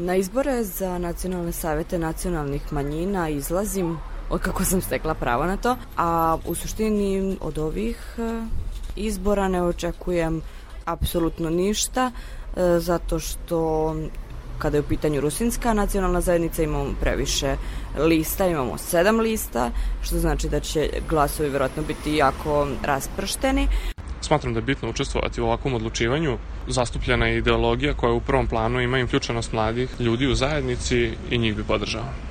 Na izbore za nacionalne savete nacionalnih manjina izlazim od kako sam stekla pravo na to, a u suštini od ovih izbora ne očekujem apsolutno ništa, zato što kada je u pitanju rusinska nacionalna zajednica imamo previše lista, imamo 7 lista, što znači da će glasovi verovatno biti jako raspršteni. Smatram da je bitno učestvovati u ovakvom odlučivanju. Zastupljena je ideologija koja u prvom planu ima uključenost mladih ljudi u zajednici i njih bi podržao.